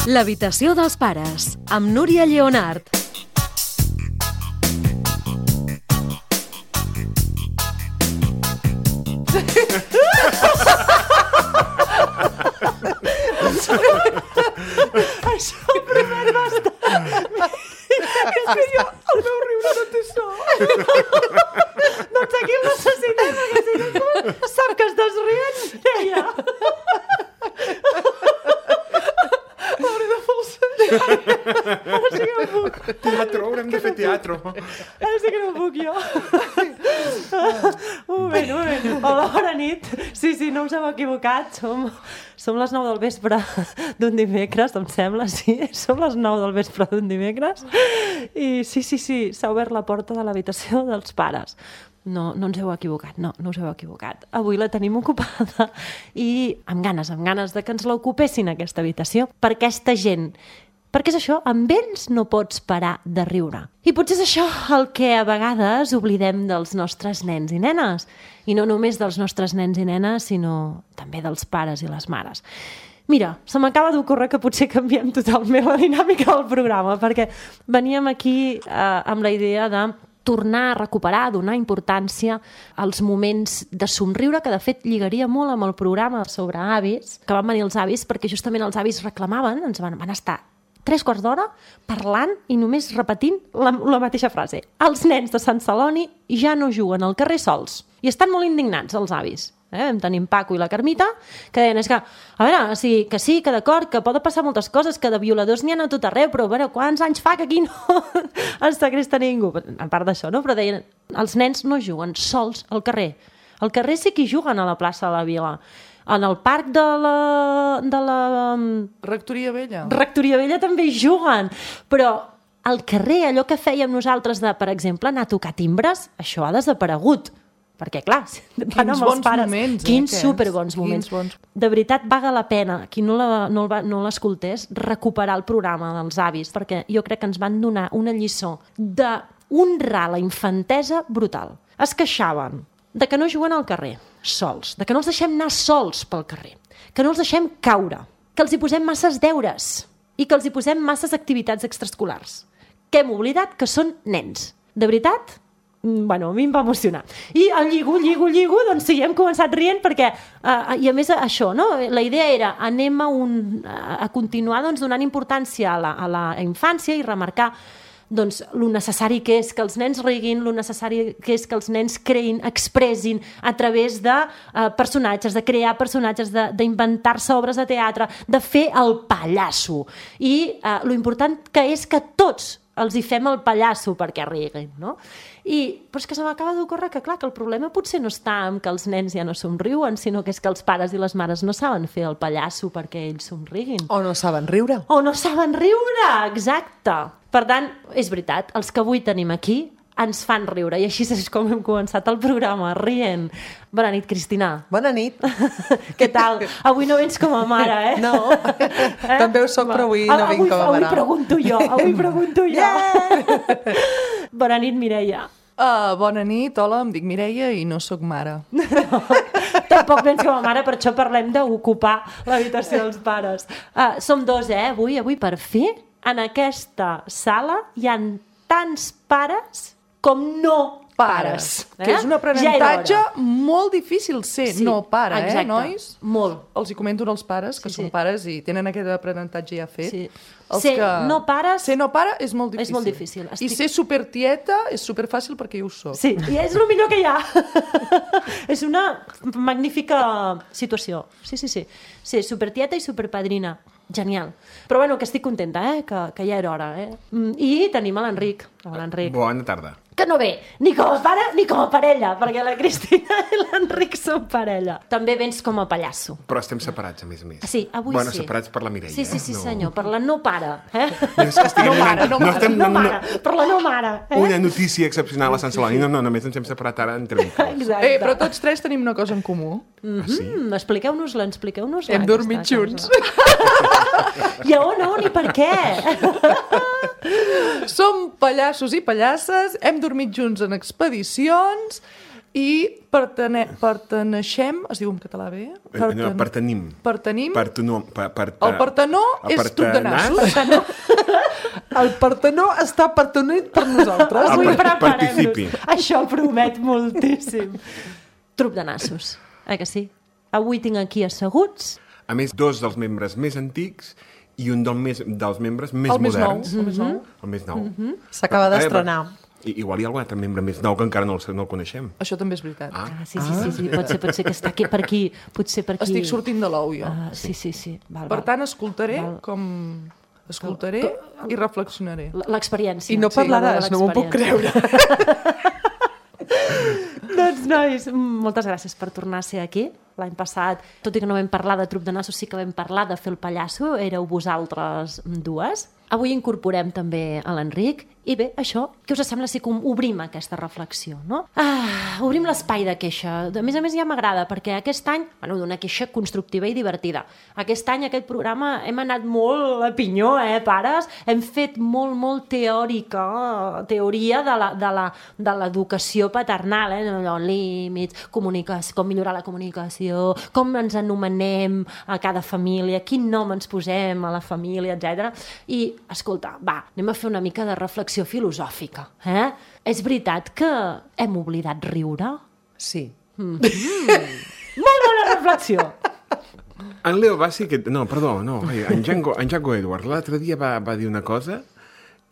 L'habitació dels pares, amb Núria Lleonart. Això primer va estar... És que jo, el meu riure no té so. Doncs aquí el necessitem, perquè si no sap que estàs rient, ella. M'hauré de forçar. Ara sí que no puc. Teatre, haurem de fer teatre. Ara sí que no puc jo. Un moment. Hola, bona nit. Sí, no us heu equivocat. Som les 9 del vespre d'un dimecres, em sembla, sí. Som les 9 del vespre d'un dimecres. I sí, s'ha obert la porta de l'habitació dels pares. No ens heu equivocat, no us heu equivocat. Avui la tenim ocupada i amb ganes de que ens l'ocupessin, aquesta habitació, per aquesta gent. Perquè és això, amb ells no pots parar de riure. I potser és això el que a vegades oblidem dels nostres nens i nenes. I no només dels nostres nens i nenes, sinó també dels pares i les mares. Mira, se m'acaba d'ocórrer que potser canviem totalment la dinàmica del programa, perquè veníem aquí amb la idea de tornar a recuperar, donar importància als moments de somriure, que de fet lligaria molt amb el programa sobre avis, que van venir els avis, perquè justament els avis reclamaven, ens van estar 3/4 d'hora parlant i només repetint la mateixa frase. Els nens de Sant Celoni ja no juguen al carrer sols. I estan molt indignats, els avis. Vam tenir en Paco i la Carmita, que deien, és que, a veure, que d'acord, que poden passar moltes coses, que de violadors n'hi ha a tot arreu, però a veure, quants anys fa que aquí no es segresta ningú? A part d'això, no? Però deien, els nens no juguen sols al carrer. Al carrer sí que hi juguen a la plaça de la Vila. En el parc de la Rectoria Vella. Rectoria Vella també hi juguen, però al carrer, allò que fèiem nosaltres de, per exemple, anar a tocar timbres, això ha desaparegut. Perquè, clar, van amb els pares. Moments, quins superbons moments. De veritat, vaga la pena, qui no l'escoltés, recuperar el programa dels avis, perquè jo crec que ens van donar una lliçó d'honrar la infantesa brutal. Es queixaven de que no juguen al carrer, sols, de que no els deixem anar sols pel carrer, que no els deixem caure, que els hi posem masses deures i que els hi posem masses activitats extraescolars. Que hem oblidat que són nens. De veritat? Bueno, a mi em va emocionar. I el lligo, doncs sí, hem començat rient perquè, i a més això, no? La idea era, anem a continuar donant importància a la infància i remarcar doncs, lo necessari que és que els nens riguin, lo necessari que és que els nens creïn, expressin a través de personatges, de crear personatges, d'inventar-se obres de teatre, de fer el pallasso. I lo important que és que tots els hi fem el pallasso perquè riguin, no? Però és que se m'acaba d'ocórrer que, clar, que el problema potser no està en que els nens ja no somriuen, sinó que és que els pares i les mares no saben fer el pallasso perquè ells somriguin. O no saben riure. Exacte. Per tant, és veritat, els que avui tenim aquí ens fan riure, i així és com hem començat el programa, rient. Bona nit, Cristina. Bona nit. Què tal? Avui no vens com a mare, No, també ho soc, però avui no vinc com a mare. Avui pregunto jo. Yeah! Bona nit, Mireia. Bona nit, hola, em dic Mireia i no sóc mare. No, tampoc vens com a mare, per això parlem d'ocupar l'habitació dels pares. Som dos, avui per fi, en aquesta sala hi ha tants pares com no pares. Que és un aprenentatge molt difícil ser no pare, exacte. Nois? Molt. Els hi comento als pares, que són pares i tenen aquest aprenentatge ja fet. Sí. Ser no pare és molt difícil. És molt difícil. I ser supertieta és superfàcil perquè jo ho soc. Sí, i és el millor que hi ha. És una magnífica situació. Sí. Ser supertieta i superpadrina. Genial. Però bueno, que estic contenta, que ja era hora. I tenim l'Enric. Bona tarda. Que no ve ni com a pare ni com a parella, perquè la Cristina i l'Enric són parella. També vens com a pallasso. Però estem separats, a més a més. Sí, avui bueno, separats per la Mireia. Sí, senyor, per la no pare. No mare. Per la no mare. Una notícia excepcional a Sant Celoni. No, només ens hem separat ara entre vincles. Exacte. Però tots tres tenim una cosa en comú. Sí? Expliqueu-nos-la. Hem dormit junts. I on i per què? Som pallassos i pallasses, hem dormit junts en expedicions I perteneixem, es diu en català bé? No, pertenim. Pertenim. El El Partenó és truc de nassos. El Partenó està pertenit per nosaltres. Ah, Avui participi. preparem-nos. Això promet moltíssim. Truc de nassos, que sí? Avui tinc aquí asseguts. A més, 2 dels membres més antics i un dels membres més El més nou. moderns. El més nou. El més nou. S'acaba d'estrenar. Igual hi ha algun altre membre més nou que encara no el coneixem. Això també és veritat. Sí, pot ser que està aquí per aquí. Potser per aquí. Estic sortint de l'ou, jo. Sí. Per tant, escoltaré i reflexionaré. L'experiència. I no parlaràs, no m'ho puc creure. Doncs, nois, moltes gràcies per tornar a ser aquí. L'any passat, tot i que no vam parlar de truc de nassos, sí que vam parlar de fer el pallasso. Éreu vosaltres 2. Avui incorporem també a l'Enric. I bé, això, què us sembla si obrim aquesta reflexió, no? Obrim l'espai de queixa. A més, ja m'agrada, perquè aquest any, d'una queixa constructiva i divertida. Aquest any, aquest programa, hem anat molt a pinyó, pares? Hem fet molt teoria de l'educació paternal, límits, comunicació, com millorar la comunicació, com ens anomenem a cada família, quin nom ens posem a la família, etc. I, escolta, anem a fer una mica de reflexió filosòfica. És veritat que hem oblidat riure? Sí. Molt bona reflexió! En Leo Bassi, en Django Edwards l'altre dia va dir una cosa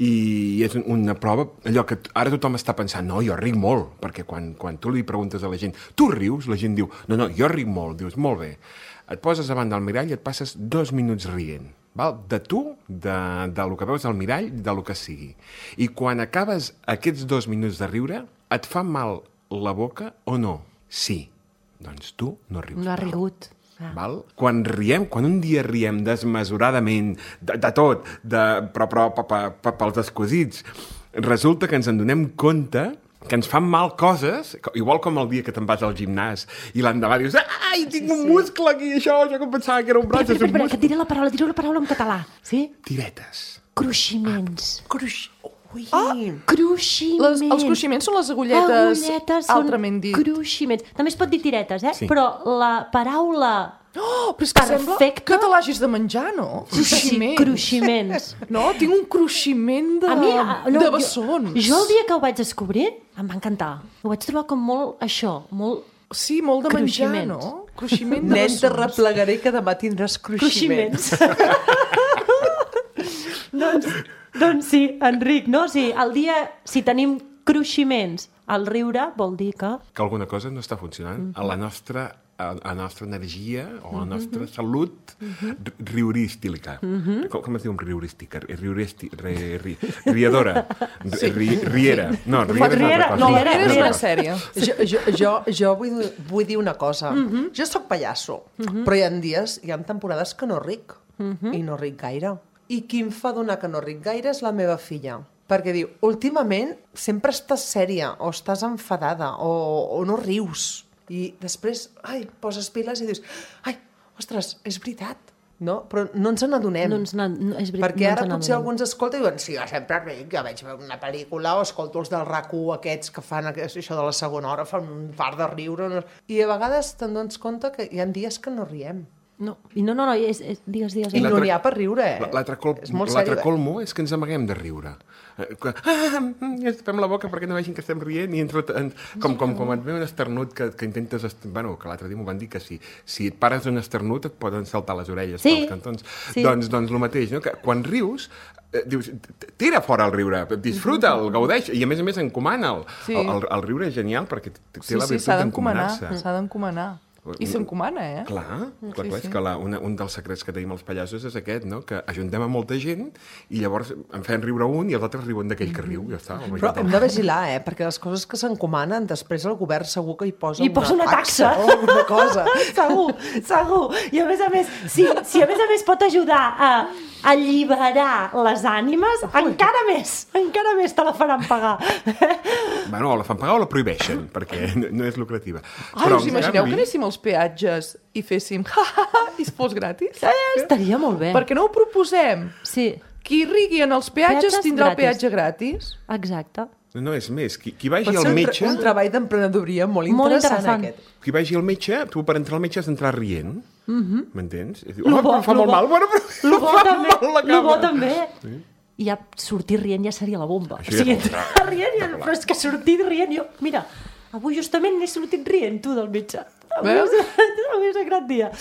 i és una prova, allò que ara tothom està pensant, no, jo ric molt, perquè quan tu li preguntes a la gent, tu rius? La gent diu, no, jo ric molt. Dius, molt bé. Et poses davant del mirall i et passes 2 minuts rient. Val? De tu, del que veus al mirall, del que sigui. I quan acabes aquests 2 minuts de riure, et fa mal la boca o no? Sí. Doncs tu no rius. No ha rigut. Val? Quan un dia riem desmesuradament, de tot, però pels escosits, resulta que ens en donem compte que ens fan mal coses, igual com el dia que te'n vas al gimnàs i l'endemà dius, ai, tinc un muscle aquí, això que em pensava que era un braç, és un muscle. Que diré la paraula en català, sí? Tiretes. Cruiximents. Cruiximents. Els cruiximents són les agulletes altrament dit. Cruiximents. També es pot dir tiretes, Sí. Però la paraula... Però és que sembla que te l'hagis de menjar, no? Cruiximents. Cruiximents. No, tinc un cruiximent de bessons. Jo el dia que ho vaig descobrir em va encantar. Ho vaig trobar com molt això, molt... Sí, molt de menjar, no? Cruiximent de Nen, bessons. te replegaré que demà tindràs cruiximents. doncs sí, Enric, no? Si tenim cruiximents al riure, vol dir que... Que alguna cosa no està funcionant a la nostra energia o a la nostra salut riurística. Com es diu riurística? Riadora. Riera. No, riera és una sèrie. Jo vull dir una cosa. Jo sóc pallasso, però hi ha temporades que no ric. I no ric gaire. I qui em fa donar que no ric gaire és la meva filla. Perquè diu, últimament sempre estàs sèria o estàs enfadada o no rius. I després, poses piles i dius, ostres, és veritat. No? Però no ens n'adonem. Perquè ara potser algú ens escolta i diuen, sí, jo sempre ric, jo veig una pel·lícula o escolto els del RAC1 aquests que fan això de la segona hora, fan un fart de riure. I a vegades te'n dones compte que hi ha dies que no riem. No, digues. I no n'hi ha per riure, L'altre colmo és que ens amaguem de riure. Fem la boca perquè no vegin que estem rient i com et ve un esternut que intentes... Bueno, que l'altre dia m'ho van dir que si et pares d'un esternut et poden saltar les orelles pels cantons. Doncs el mateix, no? Que quan rius, dius, tira fora el riure, disfruta'l, gaudeix, i a més encomana'l. El riure és genial perquè té la virtut d'encomanar-se. S'ha d'encomanar. I s'encomana, Clar, és que un dels secrets que tenim els pallassos és aquest, no? Que ajuntem a molta gent i llavors en fem riure un i els altres riuen d'aquell que riu, ja està. Però hem de vigilar, perquè les coses que s'encomanen, després el govern segur que hi posa una taxa o alguna cosa. Segur. I a més, si a més pot ajudar a alliberar les ànimes, encara més te la faran pagar. Bueno, o la fan pagar o la prohibeixen, perquè no és lucrativa. Us imagineu que anéssim als peatges i féssim i es fos gratis? Estaria molt bé. Per què no ho proposem? Sí. Qui rigui en els peatges tindrà el peatge gratis. Exacte. No, és més. Qui vagi Pot al ser metge... un treball d'emprenedoria molt Molt interessant, interessant. aquest. Qui vagi al metge, tu per entrar al metge has d'entrar rient. M'entens? I diu, Lo bo- però fa lo molt bo- mal. Bueno, però Lo bo fa també, mal la lo bo cama. també. I ja sortir rient ja seria la bomba. Això O sigui, ja és entrar rient, però és que sortir rient... Jo, mira, avui justament n'he sortit rient, tu, del metge. Avui és un gran dia.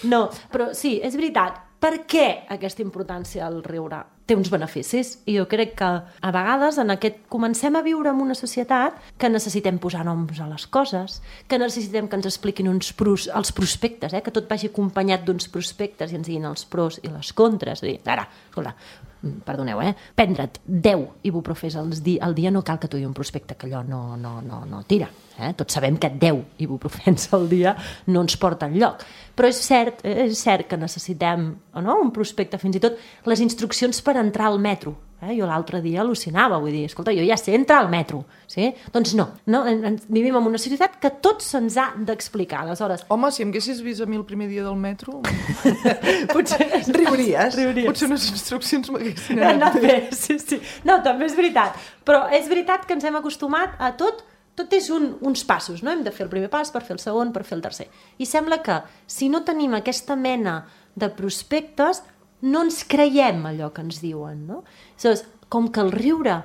No, però sí, és veritat. Per què aquesta importància al riure? Té uns beneficis i jo crec que a vegades comencem a viure en una societat que necessitem posar noms a les coses, que necessitem que ens expliquin els prospectes, que tot vagi acompanyat d'uns prospectes i ens diguin els pros i les contres. Ara, escolta, perdoneu, prendre't 10 ibuprofès al dia no cal que tu un prospecte, que allò no tira. Tots sabem que 10 ibuprofens al dia no ens porta enlloc. Però és cert que necessitem un prospecte, fins i tot les instruccions per entrar al metro. Jo l'altre dia al·lucinava, vull dir, escolta, jo ja sé entrar al metro. Sí? Doncs no, vivim en una societat que tot se'ns ha d'explicar. Aleshores, Home, si em haguessis vist a mi el primer dia del metro, potser Riuries. potser unes instruccions m'haguessin anat bé, sí. No, també és veritat. Però és veritat que ens hem acostumat a tot és uns passos, no? Hem de fer el primer pas per fer el segon, per fer el tercer. I sembla que si no tenim aquesta mena de prospectes, no ens creiem allò que ens diuen, no? Aleshores, com que el riure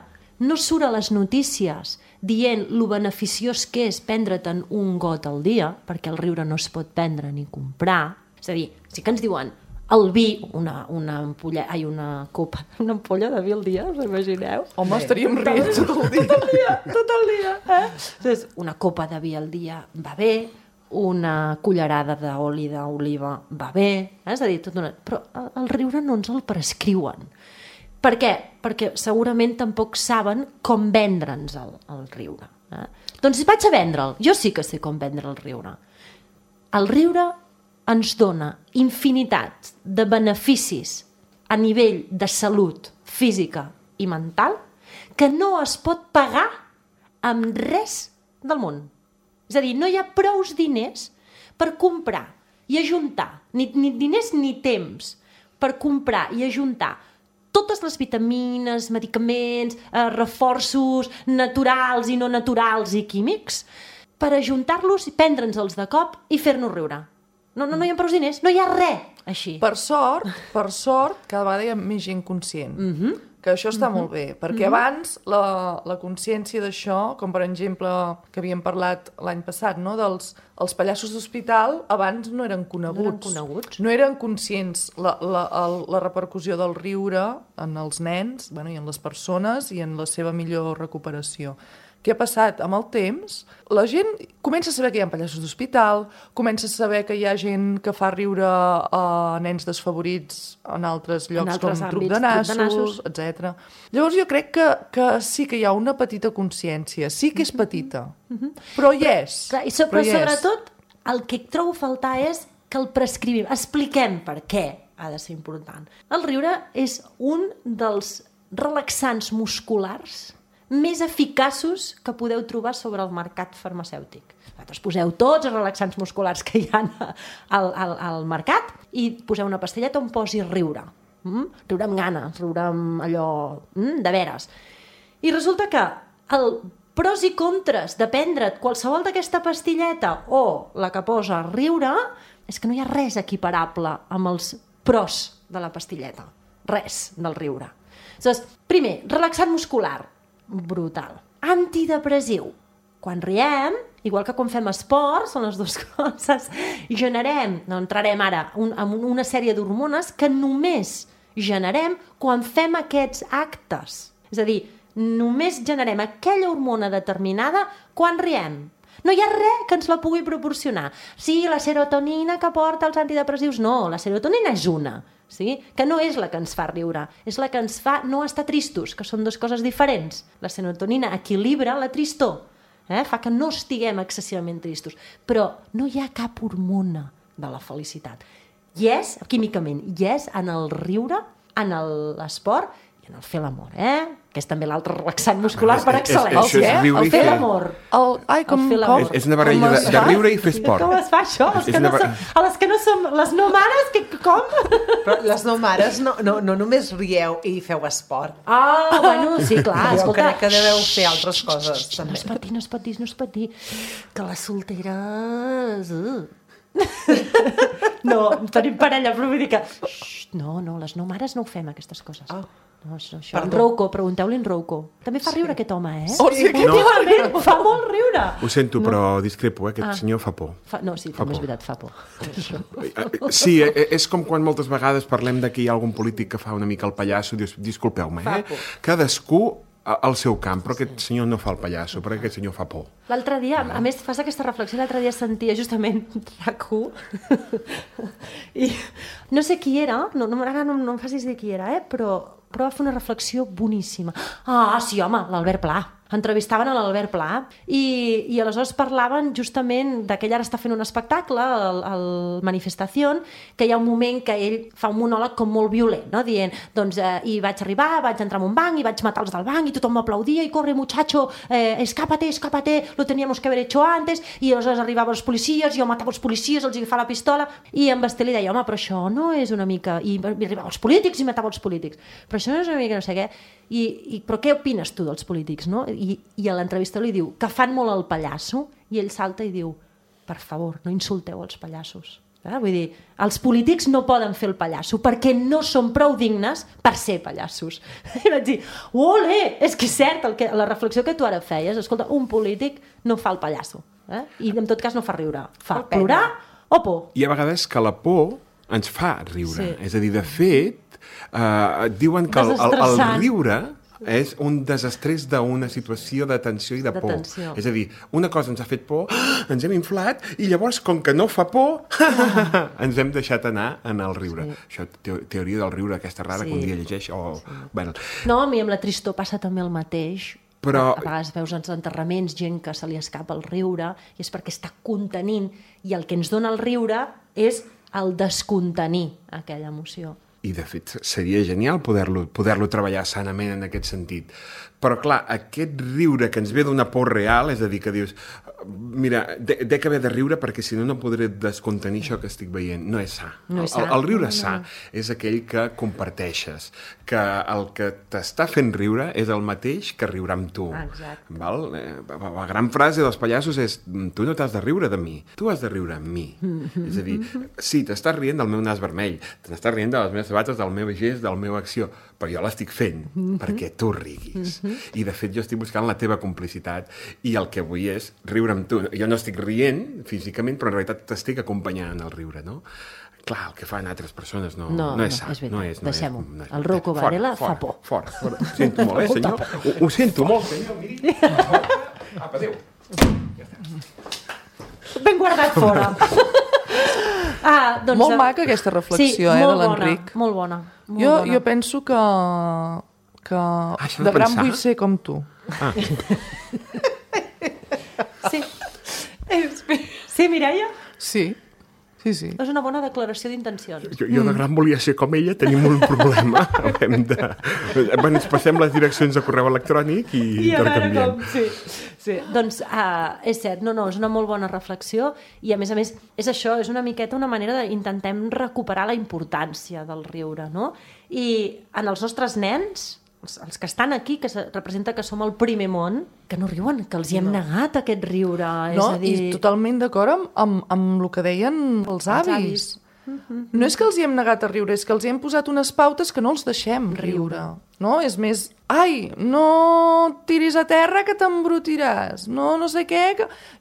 no surt a les notícies dient lo beneficiós que és prendre'n un got al dia, perquè el riure no es pot prendre ni comprar, és a dir, sí que ens diuen el vi, una ampolla de vi al dia, us imagineu? Home, estaríem rient tot el dia. Tot el dia, Entonces, una copa de vi al dia va bé, una cullerada d'oli d'oliva va bé, és a dir, però el riure no ens el prescriuen. Per què? Perquè segurament tampoc saben com vendre'ns el riure. Doncs vaig a vendre'l. Jo sí que sé com vendre el riure. El riure ens dona infinitat de beneficis a nivell de salut física i mental que no es pot pagar amb res del món. És a dir, no hi ha prous diners per comprar i ajuntar, ni diners ni temps, per comprar i ajuntar totes les vitamines, medicaments, reforços naturals i no naturals i químics, per ajuntar-los, prendre'ns-els de cop i fer-nos riure. No hi ha prou diners, no hi ha res així. Per sort, cada vegada hi ha més gent conscient. Que això està molt bé, perquè abans la consciència d'això, com per exemple que havíem parlat l'any passat, no? Els pallassos d'hospital abans no eren coneguts. No eren conscients la repercussió del riure en els nens, i en les persones i en la seva millor recuperació. Què ha passat? Amb el temps, la gent comença a saber que hi ha pallassos d'hospital, comença a saber que hi ha gent que fa riure a nens desfavorits en altres llocs com truc de nassos, etc. Llavors jo crec que sí que hi ha una petita consciència, sí que és petita, però hi és. Clar, però sobretot el que trobo a faltar és que el prescrivim, expliquem per què ha de ser important. El riure és un dels relaxants musculars més eficaços que podeu trobar sobre el mercat farmacèutic. Vosaltres poseu tots els relaxants musculars que hi ha al mercat i poseu una pastilleta on posi riure. Riure amb gana, riure amb allò de veres. I resulta que el pros i contres de prendre't qualsevol d'aquesta pastilleta o la que posa riure és que no hi ha res equiparable amb els pros de la pastilleta. Res del riure. Aleshores, primer, relaxant muscular. Brutal. Antidepressiu. Quan riem, igual que quan fem esport, són les dues coses, generem, no entrarem ara, en una sèrie d'hormones que només generem quan fem aquests actes. És a dir, només generem aquella hormona determinada quan riem. No hi ha res que ens la pugui proporcionar. Sí, la serotonina que porta els antidepressius, no, la serotonina és una. Sí? Que no és la que ens fa riure, és la que ens fa no estar tristos, que són dues coses diferents. La serotonina equilibra la tristor, fa que no estiguem excessivament tristos, però no hi ha cap hormona de la felicitat. Hi és, químicament, hi és en el riure, en l'esport i en el fer l'amor, que és també l'altre relaxant muscular per Això excel·lència. és riure El i fer fer- l'amor. Com fer l'amor. És una barreja de riure i fer esport. Com es fa això? És una A les que no som... Les no mares, com? Però les no mares no només rieu i feu esport. Bueno, sí, clar, Jo escolta. crec que deveu fer altres coses, No també. es pot dir, no es pot dir. Que les solteres... No, tenim parella, però vull dir que... No, les no mares no ho fem, aquestes coses. No, això. En Rouco, pregunteu-li en Rouco. També fa riure aquest home, Oh, sí, aquest Últimament fa molt riure. Ho sento, però discrepo, aquest senyor fa por. No, sí, també és veritat, fa por. Sí, és com quan moltes vegades parlem de que hi ha algun polític que fa una mica el pallasso, dius, disculpeu-me, Fa por. Cadascú al seu camp, però aquest senyor no fa el pallasso, perquè aquest senyor fa por. L'altre dia, a més, fas aquesta reflexió, l'altre dia sentia justament RAC1 i no sé qui era, ara no em facis dir qui era, però va fer una reflexió boníssima. Sí, home, l'Albert Pla. Entrevistaven a l'Albert Pla i aleshores parlaven justament que ell ara està fent un espectacle, el Manifestación, que hi ha un moment que ell fa un monòleg com molt violent, no? Dient, doncs, i vaig arribar, vaig entrar en un banc i vaig matar els del banc i tothom m'aplaudia i corre muchacho, escápate, lo teníamos que haber hecho antes, i aleshores arribaven els policies, jo matava els policies, els agafava la pistola, i en Basté li deia, home, però això no és una mica... I arribaven els polítics i matava els polítics. Però això no és una mica no sé què. Però què opines tu dels polítics, no? I a l'entrevista li diu que fan molt el pallasso i ell salta i diu, per favor, no insulteu els pallassos. Vull dir, els polítics no poden fer el pallasso perquè no són prou dignes per ser pallassos. I vaig dir, ole, és que és cert, la reflexió que tu ara feies, escolta, un polític no fa el pallasso, i en tot cas no fa riure, fa plorar o por. Hi ha vegades que la por ens fa riure. Sí. És a dir, de fet, diuen que el riure és un desestrès d'una situació de tensió i de por. És a dir, una cosa ens ha fet por, ens hem inflat, i llavors, com que no fa por, ens hem deixat anar en el riure. Això, teoria del riure, aquesta rara, que un dia llegeix, Bueno. No, a mi amb la tristor passa també el mateix. Però... A vegades veus als enterraments gent que se li escapa el riure i és perquè està contenint, i el que ens dona el riure és el descontenir aquella emoció. I, de fet, seria genial poder-lo treballar sanament en aquest sentit. Però, clar, aquest riure que ens ve d'una por real, és a dir, que dius, mira, dec haver de riure perquè si no podré descontenir això que estic veient. No és sa. El riure sa és aquell que comparteixes, que el que t'està fent riure és el mateix que riurà amb tu. Exacte. Val? La gran frase dels pallassos és, tu no t'has de riure de mi, tu has de riure amb mi. És a dir, sí, t'estàs rient del meu nas vermell, t'estàs rient de les meves sabates, del meu gest, de la meva acció, però jo l'estic fent perquè tu riguis. I, de fet, jo estic buscant la teva complicitat i el que vull és riure amb tu. Jo no estic rient físicament, però en realitat t'estic acompanyant en el riure, no? Clar, el que fan altres persones no és sa. És veritat, no és, deixem-ho. El Rocco Varela fa por. Fora. Ho sento molt, senyor? Ho sento molt, senyor. Miri. Apa, adéu. Ja està. Ben guardat fora. Doncs, Molt maca aquesta reflexió, de l'Enric. Molt bona. Jo penso que de gran vull ser com tu. Sí. Sí, Mireia? Sí. És una bona declaració d'intencions. Jo de gran volia ser com ella, tenim un problema. Ens passem les direccions de correu electrònic i intercanviem. Sí. Doncs és cert, és una molt bona reflexió i a més és això, és una miqueta una manera d'intentem recuperar la importància del riure, no? I en els nostres nens, els que estan aquí, que representa que som el primer món, que no riuen, que els hi hem negat aquest riure. No, i totalment d'acord amb el que deien els avis. No és que els hi hem negat a riure, és que els hi hem posat unes pautes que no els deixem riure. No? És més, no tiris a terra que t'embrutiràs, no sé què.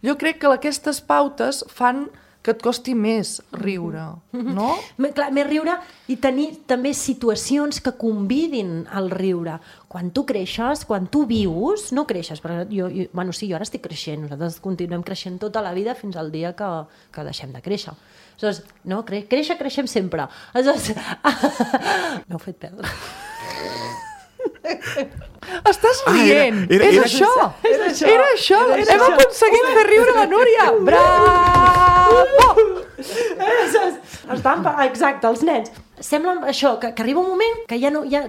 Jo crec que aquestes pautes fan que et costi més riure, no? Clar, més riure i tenir també situacions que convidin al riure. Quan tu creixes, quan tu vius, no creixes, però jo ara estic creixent, nosaltres continuem creixent tota la vida fins al dia que deixem de créixer. Aleshores, no, creixem sempre. Aleshores, m'heu fet perdre. Estàs rient. Era això. Hem aconseguit fer riure la Núria. Bravo! Exacte, els nens. sembla això, que arriba un moment que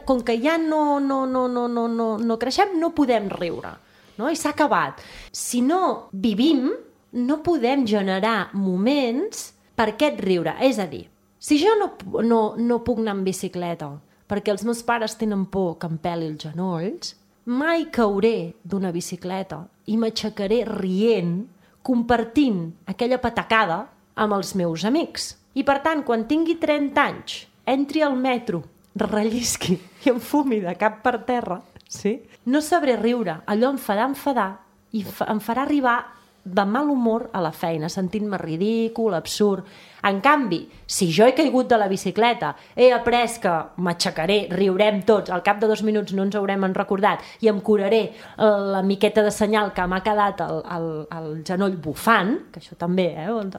com que ja no creixem, no podem riure, no? I s'ha acabat. Si no vivim, no podem generar moments per aquest riure. És a dir, si jo no puc anar en bicicleta perquè els meus pares tenen por que em peli els genolls, mai cauré d'una bicicleta i m'aixecaré rient, compartint aquella patacada amb els meus amics. I per tant, quan tingui 30 anys, entri al metro, rellisqui i em fumi de cap per terra, sí? No sabré riure, allò em farà enfadar i em farà arribar de mal humor a la feina, sentint-me ridícul, absurd. En canvi, si jo he caigut de la bicicleta, he après que m'aixecaré, riurem tots, al cap de 2 minuts no ens haurem recordat i em curaré la miqueta de senyal que m'ha quedat al genoll bufant, que això també,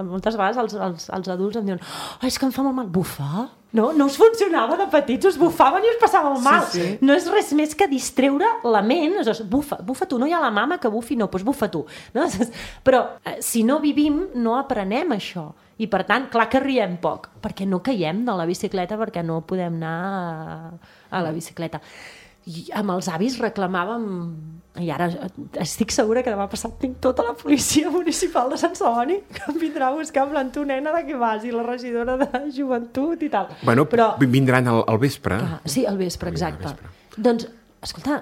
moltes vegades els adults em diuen és que em fa molt mal. Bufar? No us funcionava de petits, us bufaven i us passava el mal. Sí. No és res més que distreure la ment. Bufa tu, no hi ha la mama que bufi, no, doncs bufa tu. No? Però si no vivim, no aprenem això. I per tant, clar que riem poc, perquè no caiem de la bicicleta, perquè no podem anar a la bicicleta. I amb els avis reclamàvem, i ara estic segura que demà passat tinc tota la policia municipal de Sant Celoni que em vindrà a buscar en plan, tu nena, de què vas? I la regidora de joventut i tal. Bueno, però vindran al vespre. Clar, sí, al vespre, exacte. Doncs, escolta,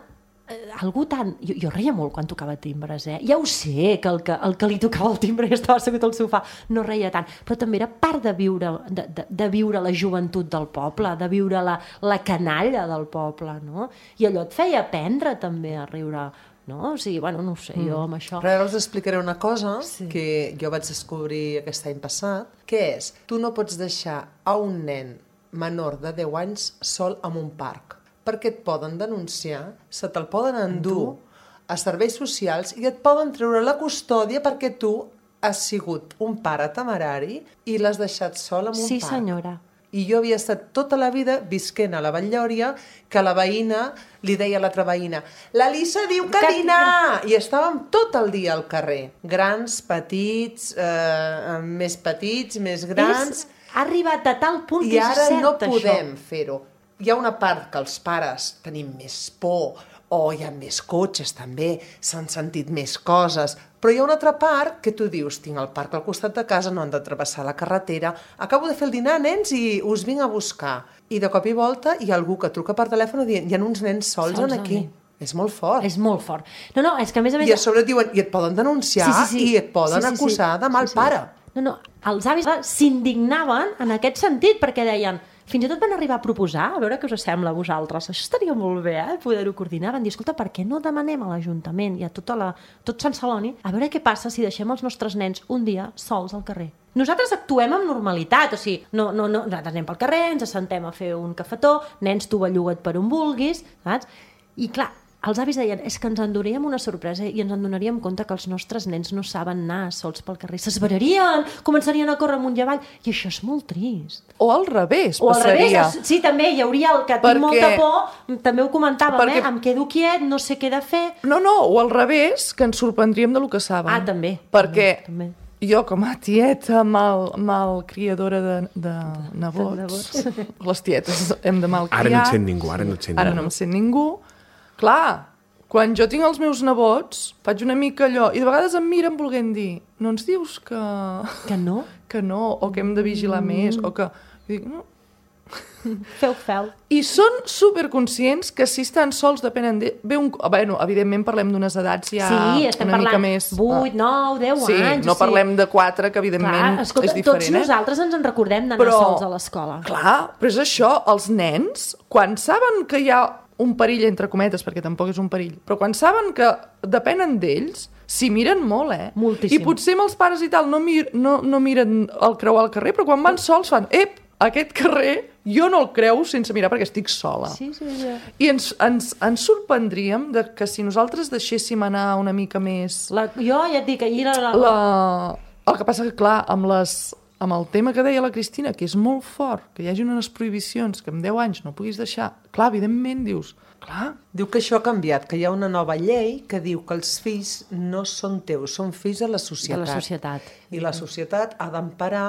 algú tan... Jo reia molt quan tocava timbres, Ja ho sé, que el que li tocava el timbre i estava assegut al sofà no reia tant, però també era part de viure la joventut del poble, de viure la canalla del poble, no? I allò et feia aprendre també a riure, no? O sigui, bueno, no ho sé, jo amb això... Però ara us explicaré una cosa que jo vaig descobrir aquest any passat, que és, tu no pots deixar a un nen menor de 10 anys sol en un parc, perquè et poden denunciar, se te'l poden endur a serveis socials i et poden treure la custòdia perquè tu has sigut un pare temerari i l'has deixat sol en un parc. Sí, senyora. I jo havia estat tota la vida visquent a la Vall-llòria que la veïna li deia a l'altra veïna «L'Elisa diu que dinar!» I estàvem tot el dia al carrer. Grans, petits, més petits, més grans... Ha arribat a tal punt que és cert, això. I ara no podem això. Fer-ho. Hi ha una part que els pares tenim més por, o hi ha més cotxes també, s'han sentit més coses, però hi ha una altra part que tu dius, tinc el parc al costat de casa, no han de travessar la carretera, acabo de fer el dinar, nens, i us vinc a buscar. I de cop i volta hi ha algú que truca per telèfon dient, hi ha uns nens sols aquí. És molt fort. És molt fort. No, és que a més... I a sobre et diuen, i et poden denunciar, i et poden acusar de mal pare. No, els avis s'indignaven en aquest sentit, perquè deien... Fins i tot van arribar a proposar, a veure què us sembla a vosaltres. Això estaria molt bé, poder-ho coordinar. Van dir, escolta, per què no demanem a l'Ajuntament i a tot Sant Celoni a veure què passa si deixem els nostres nens un dia sols al carrer? Nosaltres actuem amb normalitat, o sigui, nosaltres anem pel carrer, ens assentem a fer un cafetó, nens, tu belluga't per on vulguis, saps? I clar, els avis deien, és que ens enduríem una sorpresa i ens en donaríem compte que els nostres nens no saben anar sols pel carrer. S'esverarien, començarien a córrer amunt i avall, i això és molt trist. O al revés, passaria. Sí, també hi hauria el que tinc molta por, també ho comentàvem, em quedo quiet, no sé què de fer. No, o al revés, que ens sorprendríem de lo que saben. Ah, també. Perquè jo, com a tieta mal criadora de nebots, les tietes hem de malcriar. Ara no et sent ningú, Ara no em sent ningú. Clar, quan jo tinc els meus nebots, faig una mica allò, i de vegades em miren volent dir, no ens dius que... Que no? Que no, o que hem de vigilar més, o que... I dic, no. Feu. I són superconscients que si estan sols depenen de... Bueno, evidentment parlem d'unes edats ja una mica més... 8, 9, 10 sí, anys. No parlem de 4, que evidentment és diferent. Tots nosaltres ens en recordem d'anar sols a l'escola. Clar, però és això, els nens, quan saben que hi ha un perill, entre cometes, perquè tampoc és un perill, però quan saben que depenen d'ells, s'hi miren molt, Moltíssim. I potser amb els pares i tal no miren el creuar al carrer, però quan van sols fan, aquest carrer jo no el creu sense mirar perquè estic sola. Sí. I ens sorprendríem que si nosaltres deixéssim anar una mica més... Jo ja et dic, ahir... El que passa que, clar, amb amb el tema que deia la Cristina, que és molt fort, que hi hagi unes prohibicions que amb 10 anys no puguis deixar, clar, evidentment dius, clar... Diu que això ha canviat, que hi ha una nova llei que diu que els fills no són teus, són fills de la societat. De la societat. I la societat ha d'emparar...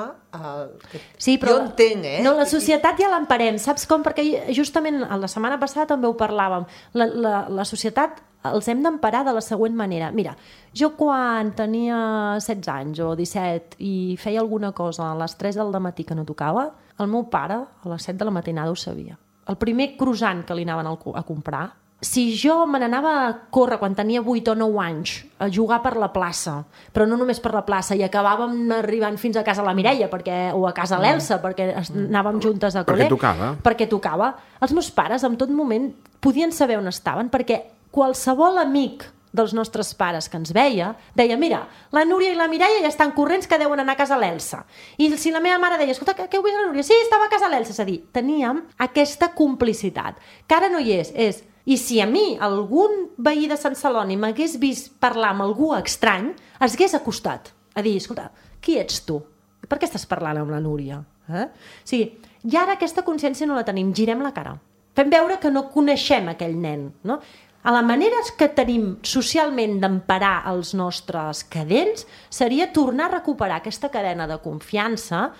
Sí, però jo entenc, No, la societat ja l'emparem, saps com? Perquè justament la setmana passada també ho parlàvem. La societat els hem d'emparar de la següent manera. Mira, jo quan tenia 16 anys o 17 i feia alguna cosa a les 3 del matí que no tocava, el meu pare a les 7 de la matinada ho sabia. El primer croissant que li anaven a comprar, si jo me n'anava a córrer quan tenia 8 o 9 anys a jugar per la plaça, però no només per la plaça, i acabàvem arribant fins a casa la Mireia o a casa l'Elsa, perquè anàvem juntes a col·le. Perquè tocava. Els meus pares en tot moment podien saber on estaven, perquè qualsevol amic dels nostres pares que ens veia, deia, mira, la Núria i la Mireia ja estan corrents que deuen anar a casa l'Elsa. I si la meva mare deia, escolta, què heu vist la Núria? Sí, estava a casa l'Elsa. És a dir, teníem aquesta complicitat, que ara no hi és. I si a mi algun veí de Sant Celoni m'hagués vist parlar amb algú estrany, es hagués acostat a dir, escolta, qui ets tu? Per què estàs parlant amb la Núria? O sigui, i ara aquesta consciència no la tenim, girem la cara. Fem veure que no coneixem aquell nen, no? A la manera que tenim socialment d'emparar els nostres cadents seria tornar a recuperar aquesta cadena de confiança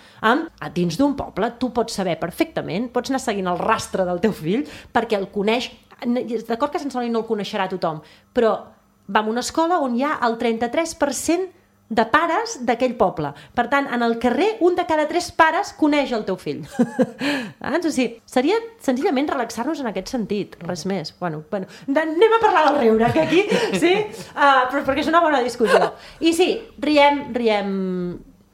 dins d'un poble. Tu pots saber perfectament, pots anar seguint el rastre del teu fill perquè el coneix. D'acord que Sant Celoni no el coneixerà tothom, però va a una escola on hi ha el 33% de pares d'aquell poble. Per tant, en el carrer, un de cada 3 pares coneix el teu fill. O sigui, seria senzillament relaxar-nos en aquest sentit, res més. Bueno, anem a parlar del riure, que aquí, sí? Però perquè és una bona discussió. I sí, riem,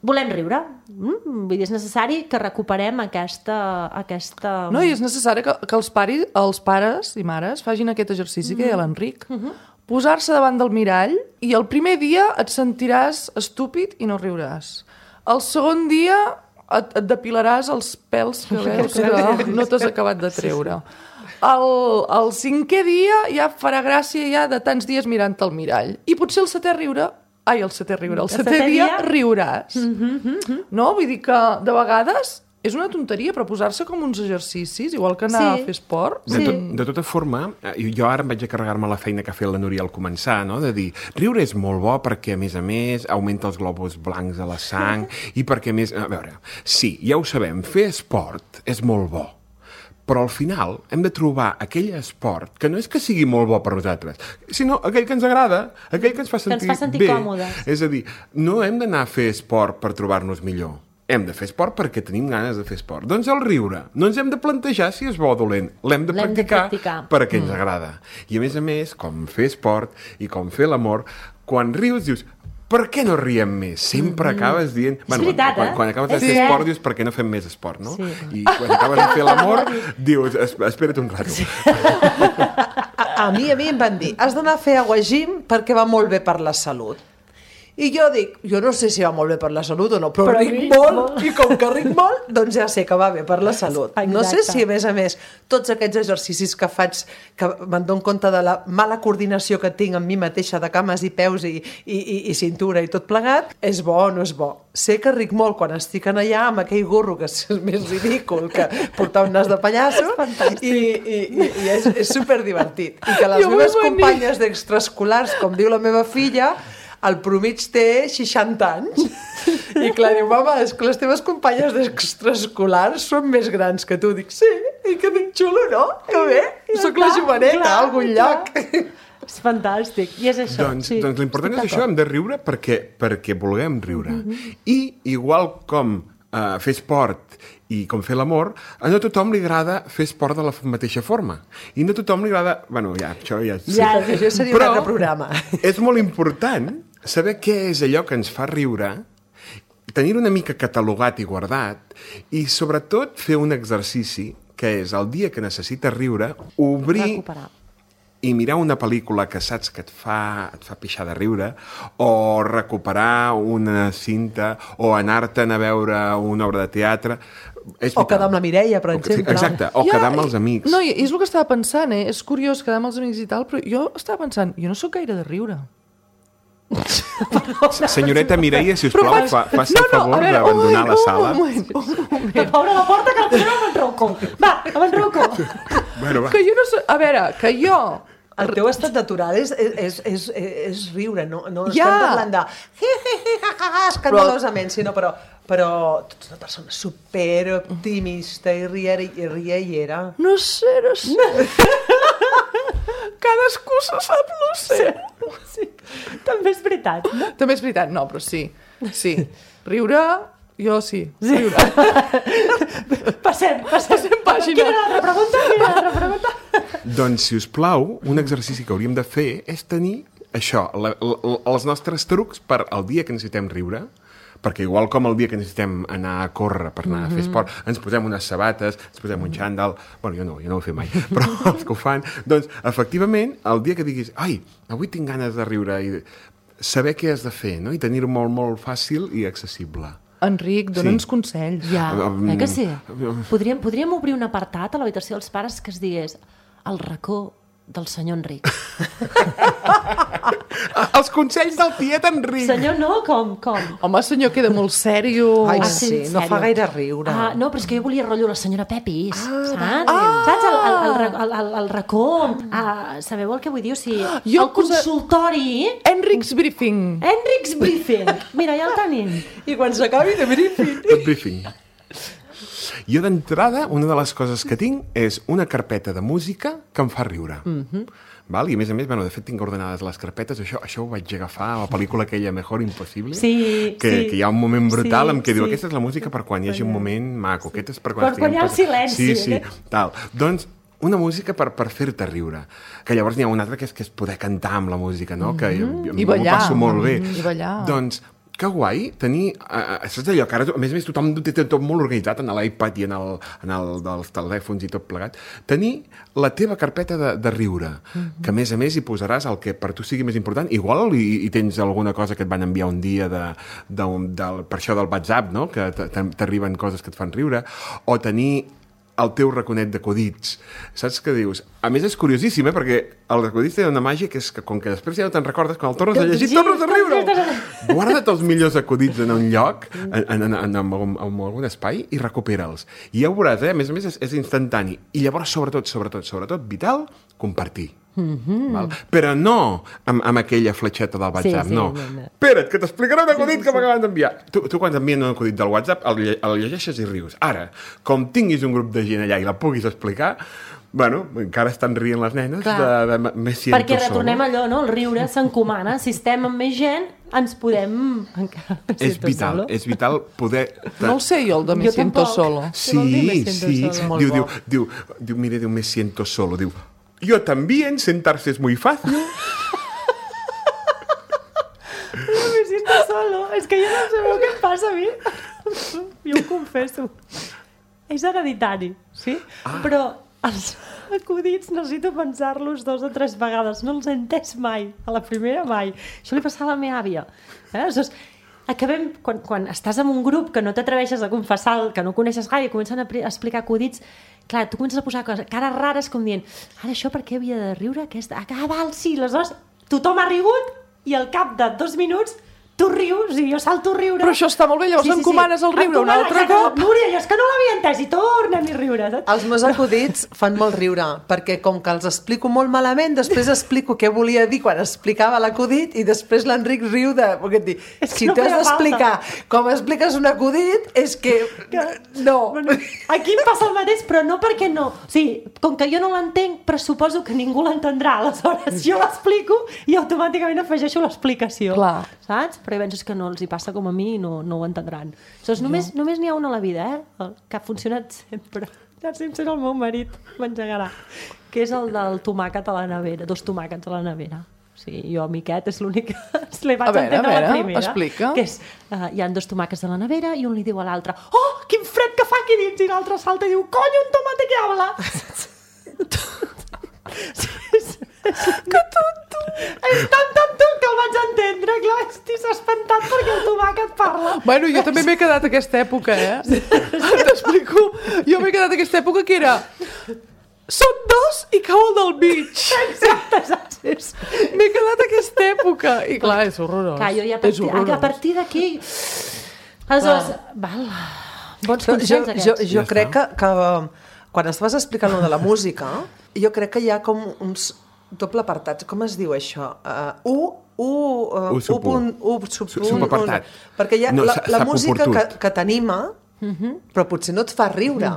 volem riure. Vull dir, és necessari que recuperem aquesta... No, i és necessari que els pares i mares facin aquest exercici que deia l'Enric. Posar-se davant del mirall i el primer dia et sentiràs estúpid i no riuràs. El segon dia et depilaràs els pèls que veus que no t'has acabat de treure. El 5è dia ja farà gràcia ja de tants dies mirant el mirall. I potser el 7è dia riuràs. No? Vull dir que de vegades és una tonteria, però posar-se com uns exercicis, igual que anar a fer esport. De tota forma, jo ara em vaig a carregar-me la feina que ha fet la Núria al començar, no? De dir, riure és molt bo perquè, a més, augmenta els glòbuls blancs a la sang i perquè, a més... A veure, sí, ja ho sabem, fer esport és molt bo, però al final hem de trobar aquell esport que no és que sigui molt bo per nosaltres, sinó aquell que ens agrada, aquell que ens fa sentir bé. Còmodes. És a dir, no hem d'anar a fer esport per trobar-nos millor. Hem de fer esport perquè tenim ganes de fer esport. Doncs el riure. No ens hem de plantejar si és bo o dolent. L'hem de practicar perquè ens agrada. I a més, com fer esport i com fer l'amor, quan rius dius, per què no riem més? Sempre acabes dient... És veritat, quan acabes de fer esport dius, per què no fem més esport, no? I quan acabes de fer l'amor dius, espera't un rato. A mi em van dir, has d'anar a fer aguagim perquè va molt bé per la salut. I jo dic, jo no sé si va molt bé per la salut o no, però ric molt, i com que ric molt, doncs ja sé que va bé per la salut. Exacte. No sé si, a més, tots aquests exercicis que faig, que me'n dono compte de la mala coordinació que tinc amb mi mateixa de cames i peus i cintura i tot plegat, és bo o no és bo. Sé que ric molt quan estic allà amb aquell gorro que és més ridícul que portar un nas de pallasso i és superdivertit. I que les meves companyes d'extraescolars, com diu la meva filla, el promig té 60 anys. I clar, diu, mama, és que les teves companyes d'extraescolars són més grans que tu. Dic, sí, i que dic, xulo, no? Que bé, soc la joveneta a algun lloc. És fantàstic, i és això. Doncs l'important és això, hem de riure perquè vulguem riure. I igual com fer esport i com fer l'amor, a no tothom li agrada fer esport de la mateixa forma. I no tothom li agrada... Bueno, això ja... Això seria un altre programa. És molt important saber què és allò que ens fa riure, tenir una mica catalogat i guardat, i sobretot fer un exercici, que és el dia que necessites riure, obrir i mirar una pel·lícula que saps que et fa pixar de riure, o recuperar una cinta, o anar-te'n a veure una obra de teatre... O quedar amb la Mireia, per exemple. Exacte, o quedar amb els amics. No, és el que estava pensant, És curiós quedar amb els amics i tal, però jo estava pensant, jo no sóc gaire de riure. Senyoreta Mireia, si us plau, faci el favor d'abandonar la sala. Un moment. Obre la porta que la posem amb en Rocco. Va, amb en Rocco. Bueno, va. Que jo no sé... A veure, que jo... El teu estat natural és riure, no Ja. estem parlant de escandalosament, sinó però tu ets una persona superoptimista i riallera. No sé. Cadascú se sap, no sé. Sí, també és veritat. No? També és veritat, no, però sí. Sí. Riure, jo sí. Riure. Passem pàgina. Quina altra pregunta? Doncs, si us plau, un exercici que hauríem de fer és tenir això, els nostres trucs per al dia que necessitem riure, perquè igual com el dia que necessitem anar a córrer per anar a fer esport, ens posem unes sabates, ens posem un xandall, bueno, jo no ho he fet mai, però els que ho fan, doncs, efectivament, el dia que diguis, ai, avui tinc ganes de riure, i saber què has de fer, no? I tenir-ho molt, molt fàcil i accessible. Enric, dona'ns consells. Ja, que sí? Podríem obrir un apartat a l'habitació dels pares que es digués el racó del senyor Enric. Els consells del tiet Enric! Senyor no? Com? Home, senyor, queda molt sèrio. Ai, sí, sí, en no fa sèrio. gaire riure. No, però és que jo volia rotllo la senyora Pepis, saps? Saps? El racó. Sabeu el que vull dir? O sigui, Jo el consultori... Enric's Briefing. Enric's Briefing. Mira, ja el tenim. I quan s'acabi de briefing... El briefing. Jo d'entrada, una de les coses que tinc és una carpeta de música que em fa riure. Val? I a més, bueno, de fet tinc ordenades les carpetes, això ho vaig agafar a la pel·lícula aquella Mejor Impossible, que hi ha un moment brutal en què diu, aquesta és la música per quan hi hagi un moment maco, aquesta és per quan hi ha el silenci. Sí, tal. Doncs una música per fer-te riure. Que llavors n'hi ha una altra que és poder cantar amb la música, no? Que jo I ballar. m'ho passo molt bé. I ballar. Doncs que guai tenir... saps allò que ara, a més tothom té tot molt organitzat en l'iPad i en el dels telèfons i tot plegat. Tenir la teva carpeta de riure, que a més hi posaràs el que per tu sigui més important. Igual i tens alguna cosa que et van enviar un dia per això del WhatsApp, no? Que t'arriben coses que et fan riure. O tenir el teu raconet d'acudits. Saps què dius? A més, és curiosíssim, perquè el acudits té una màgia que és que, com que després ja no te'n recordes, quan el tornes a llegir, tornes a riure! Guarda't els millors acudits en un lloc, en algun espai, i recupera'ls. I ja ho veuràs, a més és instantani. I llavors, sobretot, vital, compartir. Val? Però no amb aquella fletxeta del WhatsApp, no. Espera't, que t'explicaré un acudit que m'acaben d'enviar. Tu quan t'envien un acudit del WhatsApp el llegeixes i rius. Ara, com tinguis un grup de gent allà i la puguis explicar, bueno, encara estan rient les nenes de me siento perquè solo. retornem allò, no? El riure s'encomana. Si estem amb més gent, ens podem... És vital poder... No el sé jo, el de Me siento solo. Sí. Diu, mire, me siento solo. Diu, yo también, sentarse es muy fácil. Me siento solo. És que jo no sabeu què em passa a mi. Jo ho confesso. És hereditari, sí? Però els acudits necessito pensar-los 2 o 3 vegades. No els he entès mai. A la primera mai. Això li passava a la meva àvia. Aleshores, acabem, quan estàs en un grup que no t'atreveixes a confessar el que no coneixes gaire i comencen a explicar acudits, clar, tu comences a posar cares rares com dient, ara això per què havia de riure? Val, sí, aleshores tothom ha rigut i al cap de 2 minuts tu rius i jo salto a riure. Però això està molt bé, llavors encomanes el riure un altre cop. Núria, és que no l'havia entès i tornem a riure. Els meus acudits fan molt riure, perquè com que els explico molt malament, després explico què volia dir quan explicava l'acudit i després l'Enric riu de... Perquè et dic, si t'has d'explicar com expliques un acudit, és que... No. Aquí em passa el mateix, però no perquè no. O sigui, com que jo no l'entenc, però suposo que ningú l'entendrà. Aleshores, jo l'explico i automàticament afegeixo l'explicació. Clar. Saps? Però penso que no els hi passa com a mi i no ho entendran. Aleshores, només n'hi ha una a la vida, que ha funcionat sempre. Ja sempre el meu marit m'engegarà. Que és el del tomàquet a la nevera, 2 tomàquets a la nevera. O sigui, jo, miquet, és l'únic que li vaig entendre la primera. Explica. Que és, hi ha 2 tomàquets a la nevera i un li diu a l'altre, oh, quin fred que fa aquí dins! I l'altre salta i diu, coño, un tomate que habla! Que tonto! És tan tonto que el vaig entendre, clar, estic espantat perquè el tomàquet parla. Bueno, jo també m'he quedat aquesta època, T'explico. Jo m'he quedat aquesta època que era... Són 2 i cau el del mig. Exacte. M'he quedat a aquesta època. I clar, és horrorós. Clar, jo ja És horrorós. a partir d'aquí... Aleshores, val... Bons consells, aquests. Jo crec que quan estaves explicant lo de la música, jo crec que hi ha com uns doble apartats. Com es diu això? Subapartat. Perquè hi ha No, la música suboportut. que t'anima, però potser no et fa riure.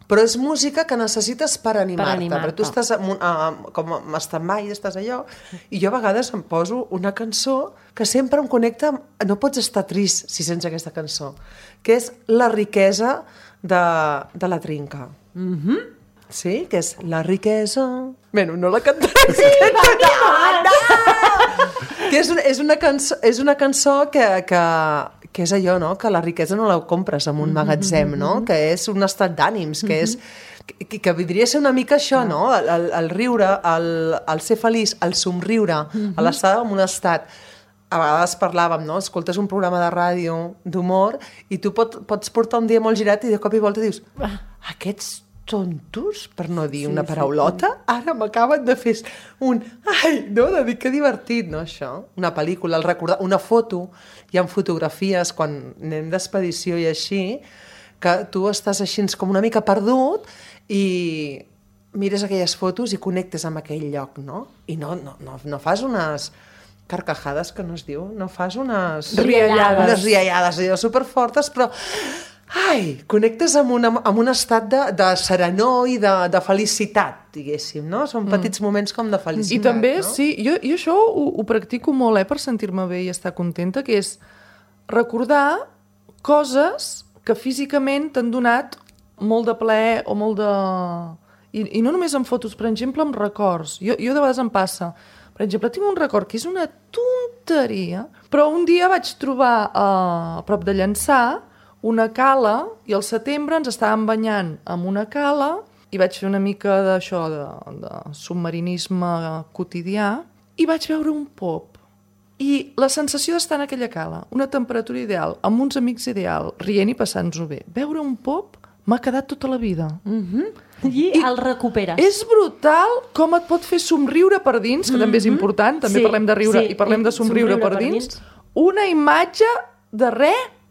Però és música que necessites per animar-te. Perquè tu estàs com en stand-by, estàs allò, i jo a vegades em poso una cançó que sempre em connecta amb... No pots estar trist si sents aquesta cançó, que és La riquesa de la Trinca. Sí? Que és La riquesa... Bueno, no la cantaré. Sí, que és una cançó que és allò, no? Que la riquesa no la compres en un magatzem, no? Que és un estat d'ànims, que és... Que podria ser una mica això, no? El riure, el ser feliç, el somriure, l'estar en un estat... A vegades parlàvem, no? Escoltes un programa de ràdio d'humor i tu pots portar un dia molt girat i de cop i volta dius aquests tontos, per no dir una paraulota, ara m'acaben de fer un... Ai, no, de dir que divertit, no, això? Una pel·lícula, el recordar... Una foto, hi ha fotografies quan anem d'expedició i així, que tu estàs així com una mica perdut i mires aquelles fotos i connectes amb aquell lloc, no? I no fas unes carcajades, que no es diu, no fas unes... Riallades. Unes riallades, allò superfortes, però... Ai, connectes amb un estat de serenor i de felicitat, diguéssim, no? Són petits moments com de felicitat, I també, no? sí, jo això ho practico molt, per sentir-me bé i estar contenta, que és recordar coses que físicament t'han donat molt de plaer o molt de... I no només en fotos, per exemple, amb records. Jo de vegades em passa... Per exemple, tinc un record que és una tonteria, però un dia vaig trobar a prop de Llançà una cala, i al setembre ens estàvem banyant amb una cala i vaig fer una mica d'això, de submarinisme quotidià, i vaig veure un pop. I la sensació d'estar en aquella cala, una temperatura ideal, amb uns amics ideal, rient i passant-nos-ho bé. Veure un pop m'ha quedat tota la vida. I el recuperes. És brutal com et pot fer somriure per dins, que també és important, també parlem de riure i parlem de somriure per dins. Una imatge de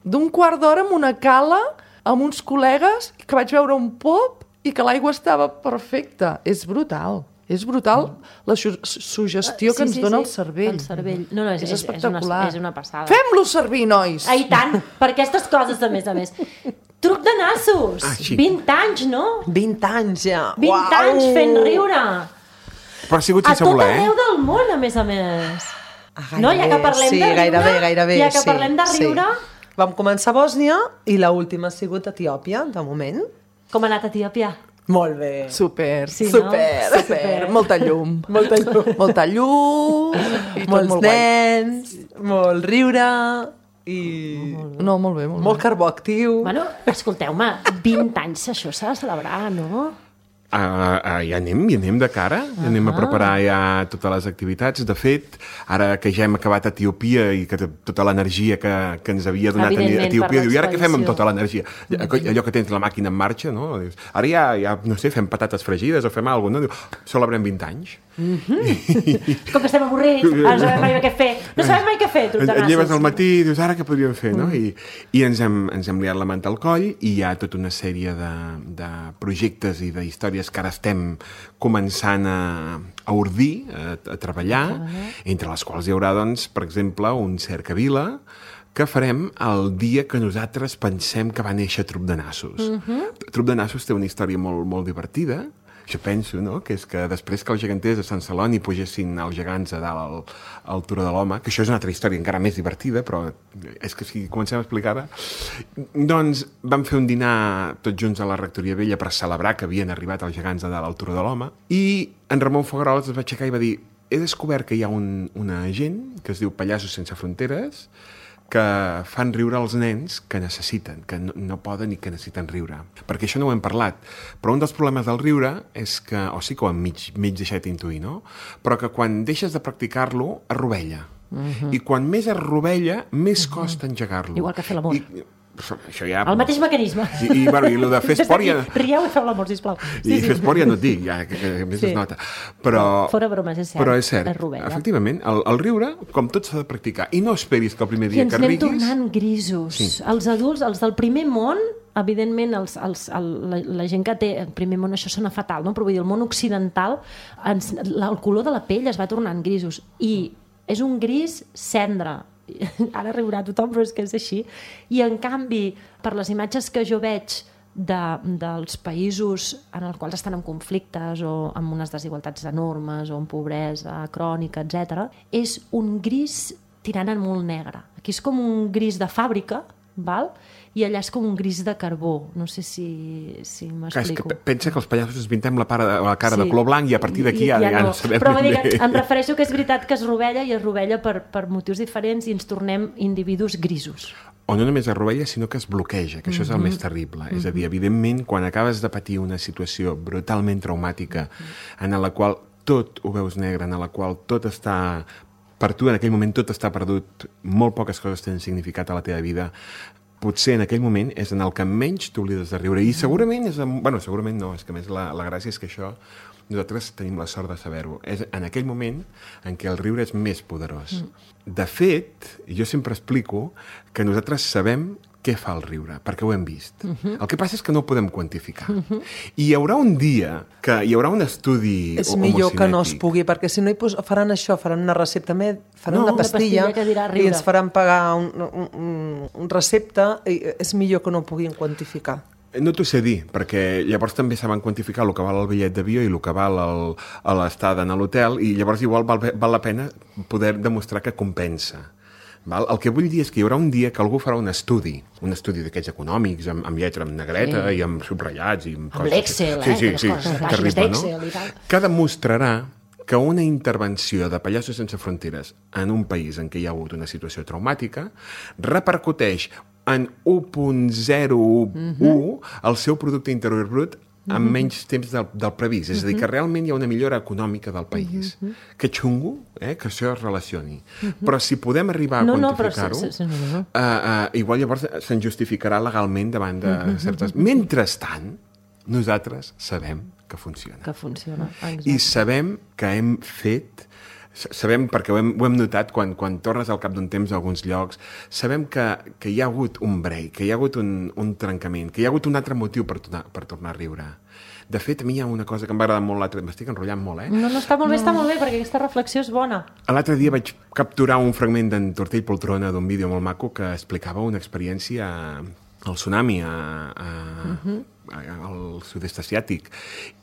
d'un quart d'hora amb una cala, amb uns col·legues, que vaig veure un pop i que l'aigua estava perfecta. És brutal. És brutal la suggestió que ens dona el cervell. El cervell. No, és espectacular. És una passada. Fem-lo servir, nois! I tant, per aquestes coses, a més. Truc de nassos! 20 anys, no? 20 anys, ja. 20 anys fent riure! Però ha sigut A sense tot voler, arreu del món, a més. No, ja que parlem sí, de riure... gairebé, ja que parlem de riure... Sí. Vam començar a Bòsnia i l'última ha sigut Etiòpia, de moment. Com ha anat a Etiòpia? Molt bé. Super, Sí, no? super. Molta llum. Molta llum. I tot Molts molt guai. nens, molt riure i No, molt bé, molt molt carbó actiu. Bueno, escolteu-me, 20 anys, això s'ha de celebrar, no? hi anem de cara, anem a preparar ja totes les activitats. De fet, ara que ja hem acabat a Etiòpia i que tota l'energia que ens havia donat a Evidentment, Etiòpia, per diu, i ara què fem amb l'expedició? tota l'energia? Allò que tens la màquina en marxa, no? Dius, ara ja, no sé, fem patates fregides o fem alguna cosa, no? Diu, celebrem 20 anys. Com que estem avorrits, no sabem mai què fer. No sabem mai què fer, truc de Et lleves nassos. al matí i dius, ara què podríem fer, no? I ens hem liat la manta al coll i hi ha tota una sèrie de projectes i d'històries que ara estem començant a ordir, a treballar, entre les quals hi haurà, doncs, per exemple, un cercavila que farem el dia que nosaltres pensem que va néixer Trup de Nassos. Trup de Nassos té una història molt, molt divertida. Jo penso, no?, que és que després que els geganters de Sant Celoni pugessin els gegants a dalt al Turó de l'Home, que això és una altra història encara més divertida, però és que si comencem a explicar-la, doncs vam fer un dinar tots junts a la Rectoria Vella per celebrar que havien arribat els gegants a dalt al Turó de l'Home, i en Ramon Fogueroles es va aixecar i va dir, he descobert que hi ha una gent que es diu Pallassos Sense Fronteres, que fan riure els nens que necessiten, que no poden i que necessiten riure. Perquè això no ho hem parlat, però un dels problemes del riure és que, o sí que ho hem mig deixat intuir, no? Però que quan deixes de practicar-lo, es rovella. I quan més es rovella, més costa engegar-lo. Igual que fer l'amor. això ja... El mateix mecanisme. I el de fer esport ja... Rieu i feu l'amor, sisplau. I fer esport ja no et dic, ja, que més es nota. Però... Fora bromes, és cert. Però és cert, Rovella. efectivament, el riure, com tot s'ha de practicar. I no esperis que el primer dia que riguis... I ens anem tornant grisos. Sí. Els adults, els del primer món, evidentment, la gent que té el primer món, això sona fatal, no? Però vull dir, el món occidental, el color de la pell es va tornant grisos. I és un gris cendra. Ara riurà tothom, però és que és així. I, en canvi, per les imatges que jo veig dels països en els quals estan en conflictes o amb unes desigualtats enormes o amb pobresa crònica, etc., és un gris tirant en molt negre. Aquí és com un gris de fàbrica, val? I allà és com un gris de carbó. No sé si m'explico. Pensa que els pallassos ens pintem la cara de color blanc i a partir d'aquí ja no sabem però em refereixo que és veritat que es rovella i es rovella per motius diferents i ens tornem individus grisos. O no només es rovella, sinó que es bloqueja, que això és el més terrible. És a dir, evidentment, quan acabes de patir una situació brutalment traumàtica en la qual tot ho veus negre, en la qual tot està... Per tu, en aquell moment, tot està perdut, molt poques coses tenen significat a la teva vida, potser en aquell moment és en el que menys t'oblides de riure. I segurament és... Bueno, segurament no, és que a més la gràcia és que això nosaltres tenim la sort de saber-ho. És en aquell moment en què el riure és més poderós. De fet, jo sempre explico que nosaltres sabem què fa el riure, perquè ho hem vist. El que passa és que no ho podem quantificar. I hi haurà un dia que hi haurà un estudi és millor que no es pugui, perquè si no faran això, faran una recepta, faran una pastilla i ens faran pagar un recepte, i és millor que no ho puguin quantificar. No t'ho sé dir, perquè llavors també saben quantificar el que val el bitllet d'avió i el que val l'estada a l'hotel, i llavors igual val la pena poder demostrar que compensa. El que vull dir és que hi haurà un dia que algú farà un estudi d'aquests econòmics, amb lletra en negreta i amb subratllats. Amb l'Excel, que demostrarà que una intervenció de Pallassos Sense Fronteres en un país en què hi ha hagut una situació traumàtica repercuteix en 1,01 el seu producte interior brut amb menys temps del previst. És a dir, que realment hi ha una millora econòmica del país. Que xungo, que això es relacioni. Però si podem arribar a quantificar-ho, igual llavors se'n justificarà legalment davant de certes... Mentrestant, nosaltres sabem que funciona. Que funciona, exacte. I sabem que hem fet... Sabem, perquè ho hem notat quan tornes al cap d'un temps a alguns llocs, sabem que hi ha hagut un break, que hi ha hagut un trencament, que hi ha hagut un altre motiu per tornar a riure. De fet, a mi hi ha una cosa que em va agradar molt l'altre... M'estic enrotllant molt, No, està molt bé, perquè aquesta reflexió és bona. L'altre dia vaig capturar un fragment d'en Tortell Poltrona d'un vídeo molt maco que explicava una experiència al tsunami al sud-est asiàtic,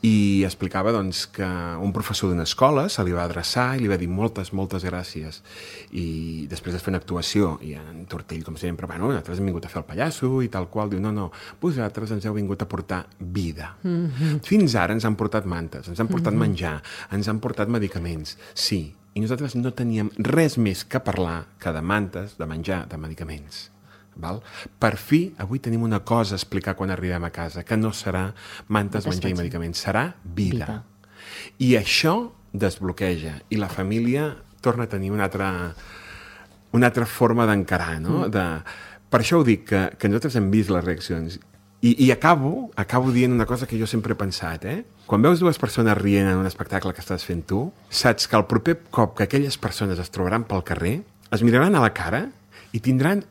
i explicava doncs, que un professor d'una escola se li va adreçar i li va dir moltes gràcies, i després de fer una actuació, i en Tortell, com sempre, nosaltres hem vingut a fer el pallasso i tal qual, diu, no, vosaltres ens heu vingut a portar vida. Fins ara ens han portat mantes, ens han portat menjar, ens han portat medicaments, sí, i nosaltres no teníem res més que parlar que de mantes, de menjar, de medicaments. Per fi, avui tenim una cosa a explicar quan arribem a casa, que no serà mantes, menjar i medicaments, serà vida. I això desbloqueja, i la família torna a tenir una altra forma d'encarar, no? Per això ho dic, que nosaltres hem vist les reaccions. I acabo dient una cosa que jo sempre he pensat, Quan veus dues persones rient en un espectacle que estàs fent tu, saps que el proper cop que aquelles persones es trobaran pel carrer, es miraran a la cara i tindran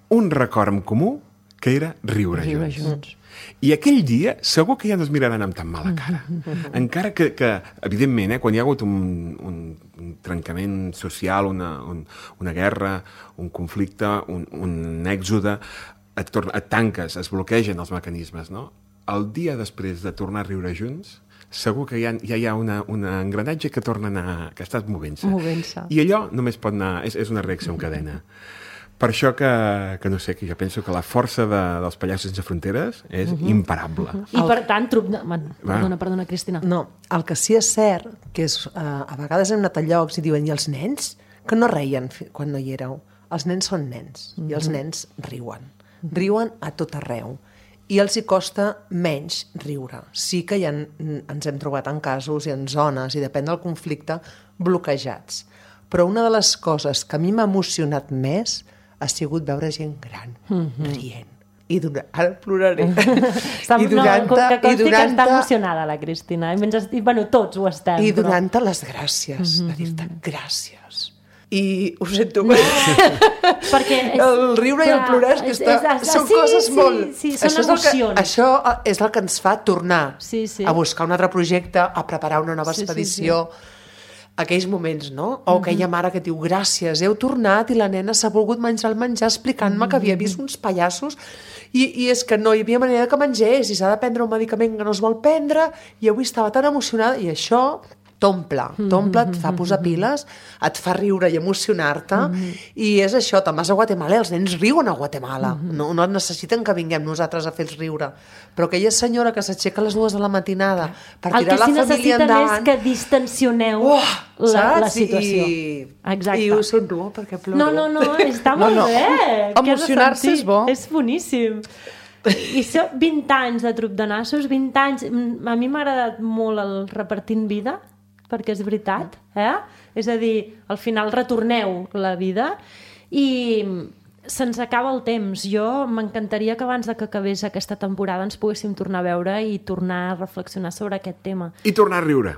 un record en comú que era riure junts. I aquell dia segur que ja no es miraran amb tan mala cara. Encara que evidentment, quan hi ha hagut un trencament social, una guerra, un conflicte, un èxode, et tanques, es bloquegen els mecanismes, no? El dia després de tornar a riure junts, segur que ja hi ha un engranatge que torna a anar, que està movent-se. I allò només pot anar, és una reacció en cadena. Per això que no sé, que jo penso que la força dels Pallassos Sense Fronteres és imparable. I per tant, perdona, Cristina. No, el que sí és cert, que és, a vegades hem anat a llocs i diuen, i els nens? Que no reien quan no hi éreu. Els nens són nens, i els nens riuen. Riuen a tot arreu. I els hi costa menys riure. Sí que ens hem trobat en casos i en zones, i depèn del conflicte, bloquejats. Però una de les coses que a mi m'ha emocionat més ha sigut veure gent gran rient. ara ploraré. Que està emocionada la Cristina. I bueno, tots ho estem. I donant-te les gràcies, de dir-te gràcies. I ho sento, perquè el riure i el plorar són coses molt... Sí, són emocions. Això és el que ens fa tornar a buscar un altre projecte, a preparar una nova expedició. Aquells moments, no? O aquella mare que diu, gràcies, heu tornat i la nena s'ha volgut menjar el menjar explicant-me que havia vist uns pallassos i és que no hi havia manera que mengés i s'ha de prendre un medicament que no es vol prendre i avui estava tan emocionada i això t'omple, et fa posar piles, et fa riure i emocionar-te i és això, te'n vas a Guatemala i els nens riuen a Guatemala, no necessiten que vinguem nosaltres a fer-los riure, però aquella senyora que s'aixeca a les 2 de la matinada per tirar la família endavant... El que sí necessiten és que distensioneu la situació. Exacte. I ho somriu perquè ploro. No, està molt bé. Emocionar-se és bo. És boníssim. I són 20 anys de truc de nassos, 20 anys... A mi m'ha agradat molt el Repartint Vida, perquè és veritat, És a dir, al final retorneu la vida i se'ns acaba el temps. Jo m'encantaria que abans de que acabés aquesta temporada ens poguéssim tornar a veure i tornar a reflexionar sobre aquest tema. I tornar a riure.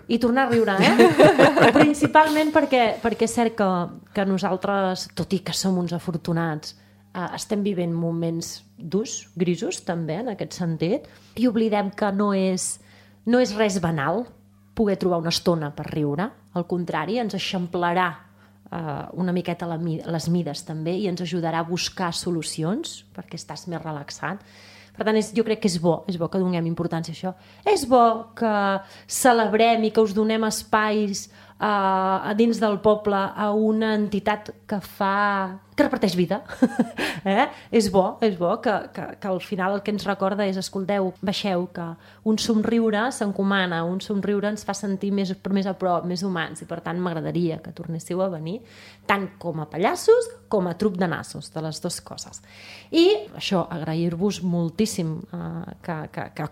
Principalment perquè és cert que nosaltres, tot i que som uns afortunats, estem vivint moments durs, grisos també, en aquest sentit, i oblidem que no és res banal poder trobar una estona per riure. Al contrari, ens eixamplarà una miqueta les mides també i ens ajudarà a buscar solucions perquè estàs més relaxat. Per tant, jo crec que és bo que donem importància a això. És bo que celebrem i que us donem espais a dins del poble a una entitat que reparteix vida. És bo que al final el que ens recorda és, escolteu, baixeu, que un somriure s'encomana, un somriure ens fa sentir més a prop, més humans, i per tant m'agradaria que tornéssiu a venir, tant com a pallassos com a truc de nassos, de les dues coses. I això, agrair-vos moltíssim que